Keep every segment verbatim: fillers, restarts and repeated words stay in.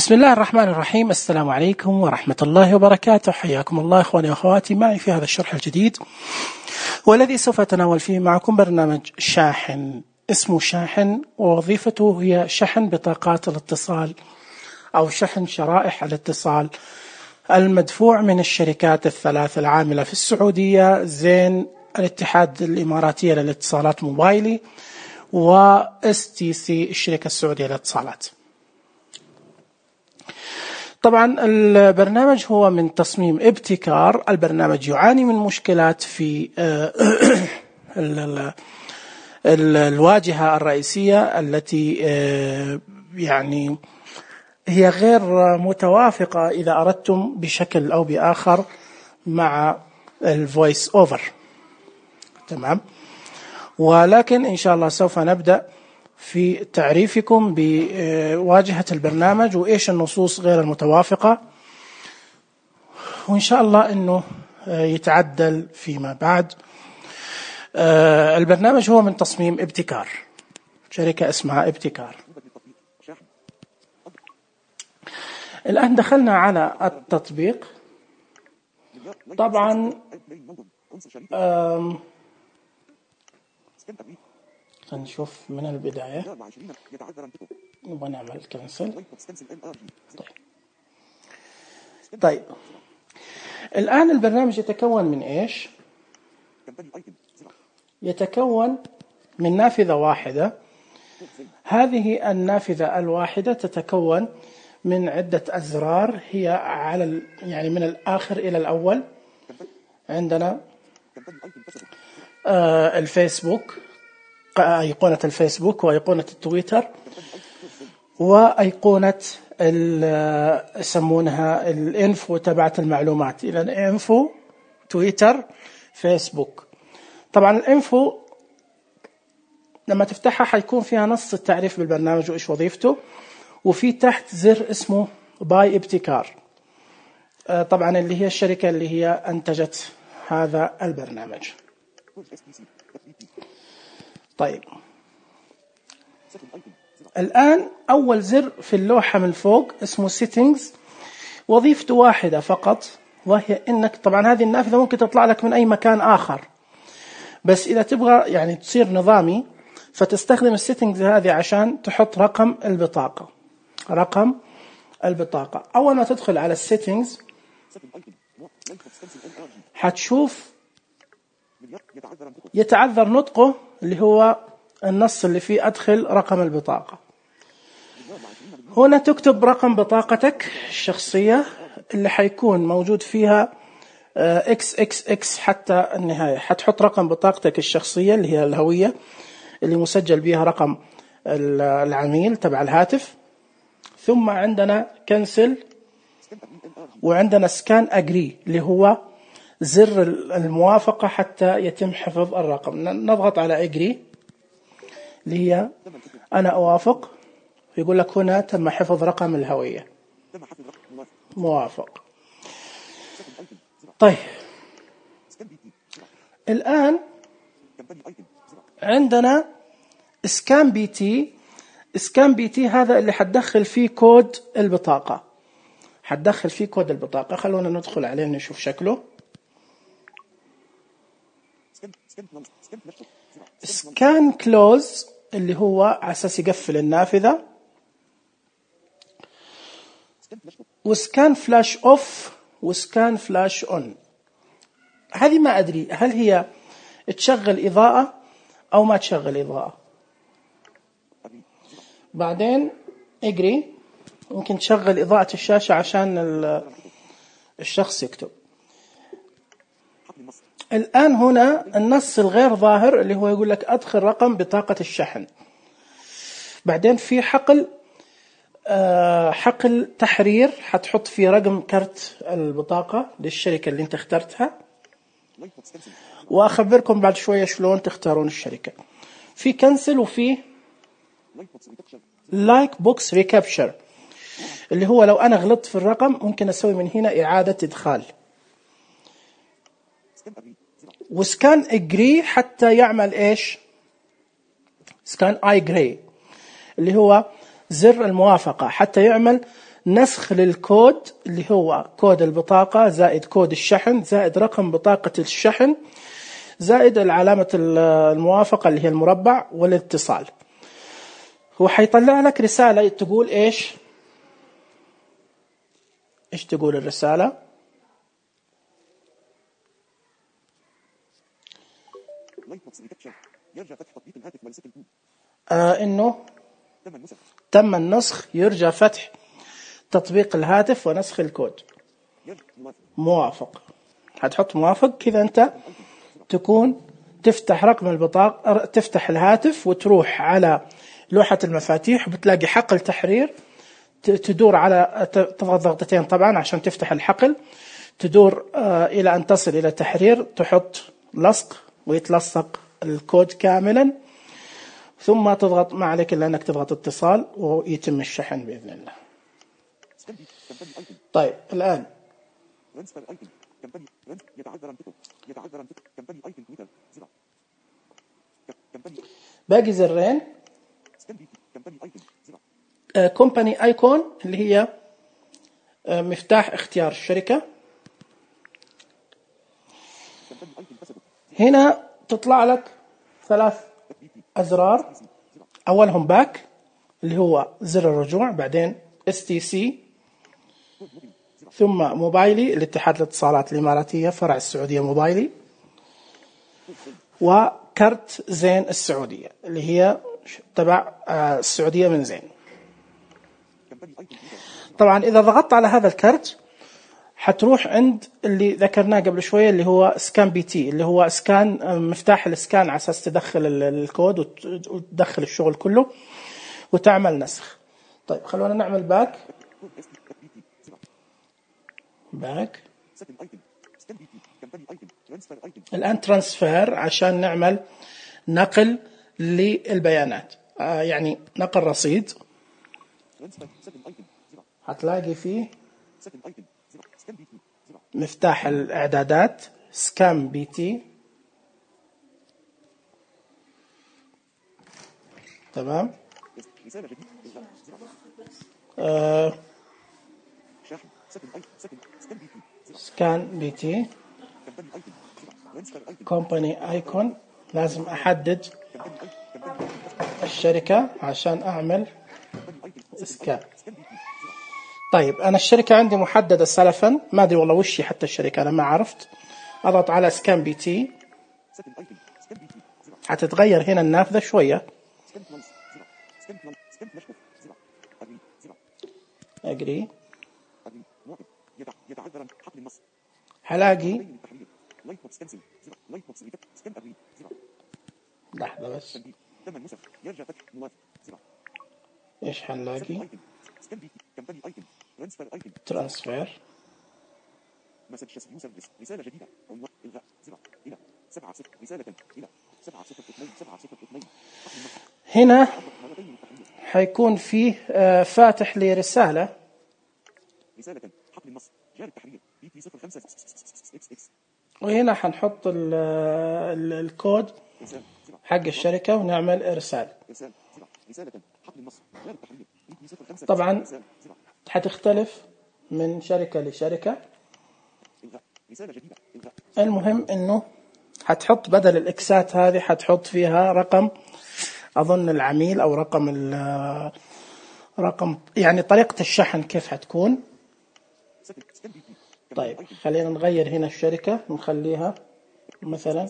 بسم الله الرحمن الرحيم. السلام عليكم ورحمة الله وبركاته. حياكم الله إخواني وأخواتي معي في هذا الشرح الجديد، والذي سوف أتناول فيه معكم برنامج شاحن اسمه شاحن، ووظيفته هي شحن بطاقات الاتصال أو شحن شرائح الاتصال المدفوع من الشركات الثلاث العاملة في السعودية: زين، الاتحاد الإماراتية للاتصالات موبايلي، و إس تي سي الشركة السعودية للاتصالات. طبعا البرنامج هو من تصميم ابتكار. البرنامج يعاني من مشكلات في الواجهة الرئيسية التي يعني هي غير متوافقة إذا أردتم بشكل أو بآخر مع الفويس أوفر. تمام، ولكن إن شاء الله سوف نبدأ في تعريفكم بواجهة البرنامج وإيش النصوص غير المتوافقة، وإن شاء الله أنه يتعدل فيما بعد. البرنامج هو من تصميم ابتكار، شركة اسمها ابتكار. الآن دخلنا على التطبيق. طبعا نشوف من البداية. نبغى نعمل كنسل. طيب. طيب الآن البرنامج يتكون من إيش؟ يتكون من نافذة واحدة. هذه النافذة الواحدة تتكون من عدة أزرار، هي على يعني من الآخر إلى الأول. عندنا آه الفيسبوك، أيقونة الفيسبوك، وأيقونة التويتر، وأيقونة يسمونها الانفو تبعت المعلومات. إذا الانفو، تويتر، فيسبوك. طبعا الانفو لما تفتحها حيكون فيها نص التعريف بالبرنامج وإيش وظيفته، وفي تحت زر اسمه باي ابتكار، طبعا اللي هي الشركة اللي هي أنتجت هذا البرنامج. طيب الآن أول زر في اللوحة من فوق اسمه settings، وظيفته واحدة فقط، وهي إنك طبعا هذه النافذة ممكن تطلع لك من أي مكان آخر، بس إذا تبغى يعني تصير نظامي فتستخدم السيتنجز هذه عشان تحط رقم البطاقة. رقم البطاقة أول ما تدخل على السيتنجز حتشوف يتعذر نطقه، اللي هو النص اللي فيه أدخل رقم البطاقة. هنا تكتب رقم بطاقتك الشخصية اللي حيكون موجود فيها إكس إكس إكس حتى النهاية. حتحط رقم بطاقتك الشخصية اللي هي الهوية اللي مسجل بها رقم العميل تبع الهاتف. ثم عندنا كنسل، وعندنا سكان أجري اللي هو زر الموافقة حتى يتم حفظ الرقم. نضغط على أجري اللي هي أنا أوافق، يقول لك هنا تم حفظ رقم الهوية، موافق. طيب الآن عندنا سكان بي تي. سكان بي تي هذا اللي حتدخل فيه كود البطاقة، حتدخل فيه كود البطاقة. خلونا ندخل عليه نشوف شكله. سكان كلوز اللي هو على أساس يقفل النافذة، وسكان فلاش أوف، وسكان فلاش أون. هذه ما أدري هل هي تشغل إضاءة أو ما تشغل إضاءة. بعدين اجري، ممكن تشغل إضاءة الشاشة عشان الشخص يكتب. الآن هنا النص الغير ظاهر اللي هو يقول لك أدخل رقم بطاقة الشحن. بعدين في حقل حقل تحرير، حتحط فيه رقم كرت البطاقة للشركة اللي انت اخترتها، وأخبركم بعد شوية شلون تختارون الشركة. في كنسل، وفي لايك بوكس ريكابشر اللي هو لو أنا غلطت في الرقم ممكن أسوي من هنا إعادة إدخال. وسكان اجري حتى يعمل إيش؟ سكان اي جراي اللي هو زر الموافقة حتى يعمل نسخ للكود اللي هو كود البطاقة زائد كود الشحن زائد رقم بطاقة الشحن زائد العلامة الموافقة اللي هي المربع والاتصال. هو حيطلع لك رسالة تقول إيش إيش تقول الرسالة؟ آه إنه تم النسخ، يرجى فتح تطبيق الهاتف ونسخ الكود. موافق، هتحط موافق كذا أنت تكون تفتح رقم البطاقة، تفتح الهاتف وتروح على لوحة المفاتيح وبتلاقي حقل تحرير، تدور على تضغط ضغطتين طبعا عشان تفتح الحقل، تدور إلى أن تصل إلى تحرير، تحط لصق ويتلصق الكود كاملا، ثم تضغط، ما عليك إلا أنك تضغط اتصال ويتم الشحن بإذن الله. طيب الآن باقي زرين. كومباني ايكون اللي هي مفتاح اختيار الشركة. هنا تطلع لك ثلاث أزرار، أولهم باك اللي هو زر الرجوع، بعدين اس تي سي، ثم موبايلي الاتحاد الاتصالات الإماراتية فرع السعودية موبايلي، وكرت زين السعودية اللي هي تبع السعودية من زين. طبعا إذا ضغطت على هذا الكرت حتروح عند اللي ذكرناه قبل شوية اللي هو سكان بي تي، اللي هو سكان مفتاح السكان على أساس تدخل الكود وتدخل الشغل كله وتعمل نسخ. طيب خلونا نعمل باك باك الآن ترانسفير عشان نعمل نقل للبيانات، آه يعني نقل رصيد. هتلاقي فيه مفتاح الإعدادات سكان بي تي، تمام. آه سكان بي تي كومباني ايكون، لازم احدد الشركة عشان اعمل سكان. طيب انا الشركة عندي محددة سلفا، ما ادري والله وش حتى الشركة انا ما عرفت. اضغط على سكان بي تي، هتتغير هنا النافذة شوية. اجري، هلاقي لحظة بس، ايش هنلاقي؟ ترانسفير، رسالة جديدة، إلغاء زر إلى سبعة صفر، رسالة إلى سبعة صفر اثنين سبعة صفر اثنين. هنا حيكون فيه فاتح لي رسالة، رسالة حقل النص جاري التحرير بي تي صفر خمسة إكس إكس، وهنا حنحط الكود حق الشركة ونعمل إرسال. طبعا حتختلف من شركة لشركة. المهم إنه حتحط بدل الإكسات هذه حتحط فيها رقم أظن العميل أو رقم رقم يعني طريقة الشحن كيف حتكون. طيب خلينا نغير هنا الشركة نخليها مثلا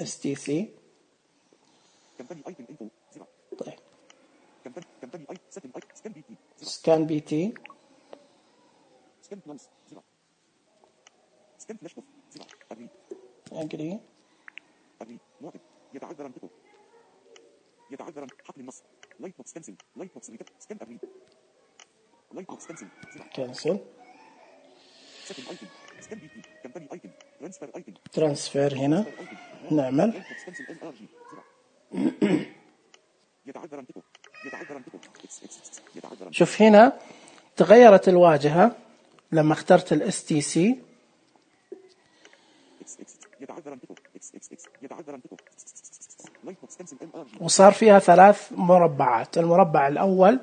اس تي سي. طيب سكان بي تي، اجري، يتعذر انتقل يتعذر حقل النص لايت بوكس كنسل لايت بوكس سكان ابريد لايت بوكس كنسل كنسل ترانسفير. هنا نعمل شوف هنا تغيرت الواجهة لما اخترت الاس تي سي، وصار فيها ثلاث مربعات. المربع الأول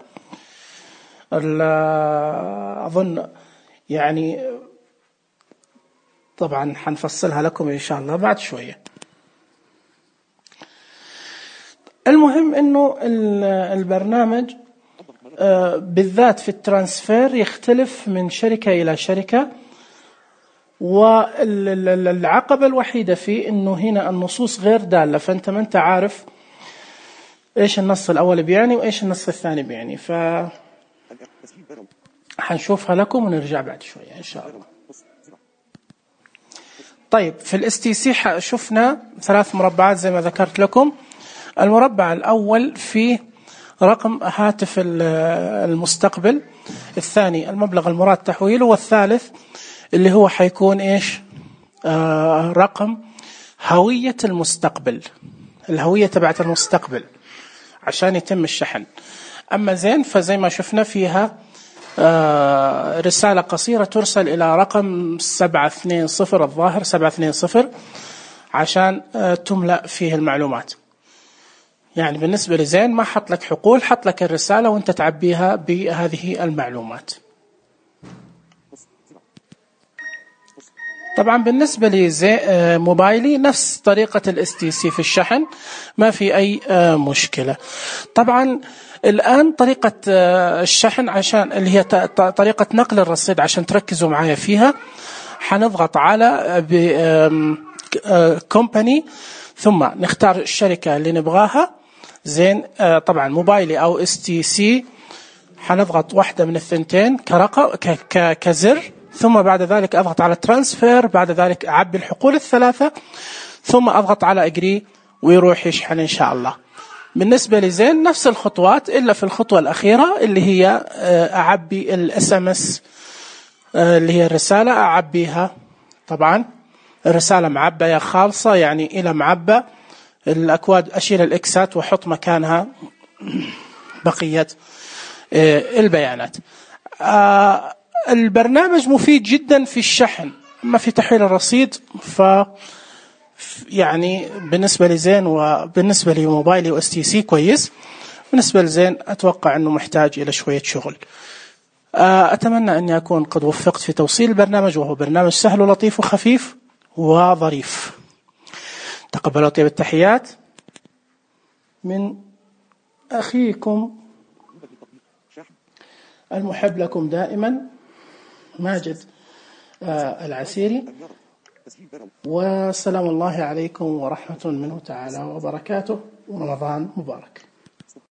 أظن يعني طبعا حنفصلها لكم إن شاء الله بعد شوية. المهم إنه البرنامج بالذات في الترانسفير يختلف من شركة إلى شركة، والعقبة الوحيدة فيه إنه هنا النصوص غير دالة، فأنت ما أنت عارف إيش النص الأول بيعني وإيش النص الثاني بيعني. ف حنشوفها لكم ونرجع بعد شوية إن شاء الله. طيب في الاس تي سي شفنا ثلاث مربعات زي ما ذكرت لكم. المربع الأول فيه رقم هاتف المستقبل، الثاني المبلغ المراد تحويله، والثالث اللي هو حيكون إيش آه رقم هوية المستقبل، الهوية تبعت المستقبل عشان يتم الشحن. أما زين فزي ما شفنا فيها آه رسالة قصيرة ترسل إلى رقم سبعة اثنين صفر، الظاهر سبعة اثنين صفر، عشان آه تملأ فيه المعلومات. يعني بالنسبة لزين ما حط لك حقول، حط لك الرسالة وانت تعبيها بهذه المعلومات. طبعا بالنسبة لزي موبايلي نفس طريقة الاس تي سي في الشحن، ما في أي مشكلة. طبعا الآن طريقة الشحن عشان اللي هي طريقة نقل الرصيد عشان تركزوا معايا فيها، حنضغط على كومباني ثم نختار الشركة اللي نبغاها. زين طبعا موبايلي أو اس تي سي حنضغط واحدة من الثنتين كرقم كزر، ثم بعد ذلك أضغط على ترانسفير، بعد ذلك أعبي الحقول الثلاثة ثم أضغط على أجري ويروح يشحن إن شاء الله. بالنسبة لزين نفس الخطوات إلا في الخطوة الأخيرة اللي هي أعبي الاس ام اس اللي هي الرسالة، أعبيها. طبعا الرسالة معبية خالصة يعني إلى معبى الأكواد، أشيل الإكسات وحط مكانها بقية البيانات. البرنامج مفيد جدا في الشحن، أما في تحويل الرصيد ف يعني بالنسبة لزين وبالنسبة لموبايلي و اس تي سي كويس. بالنسبة لزين أتوقع أنه محتاج إلى شوية شغل. أتمنى أني أكون قد وفقت في توصيل البرنامج، وهو برنامج سهل ولطيف وخفيف وظريف. تقبلوا طيب التحيات من أخيكم المحب لكم دائما ماجد العسيري، والسلام الله عليكم ورحمة منه تعالى وبركاته، ورمضان مبارك.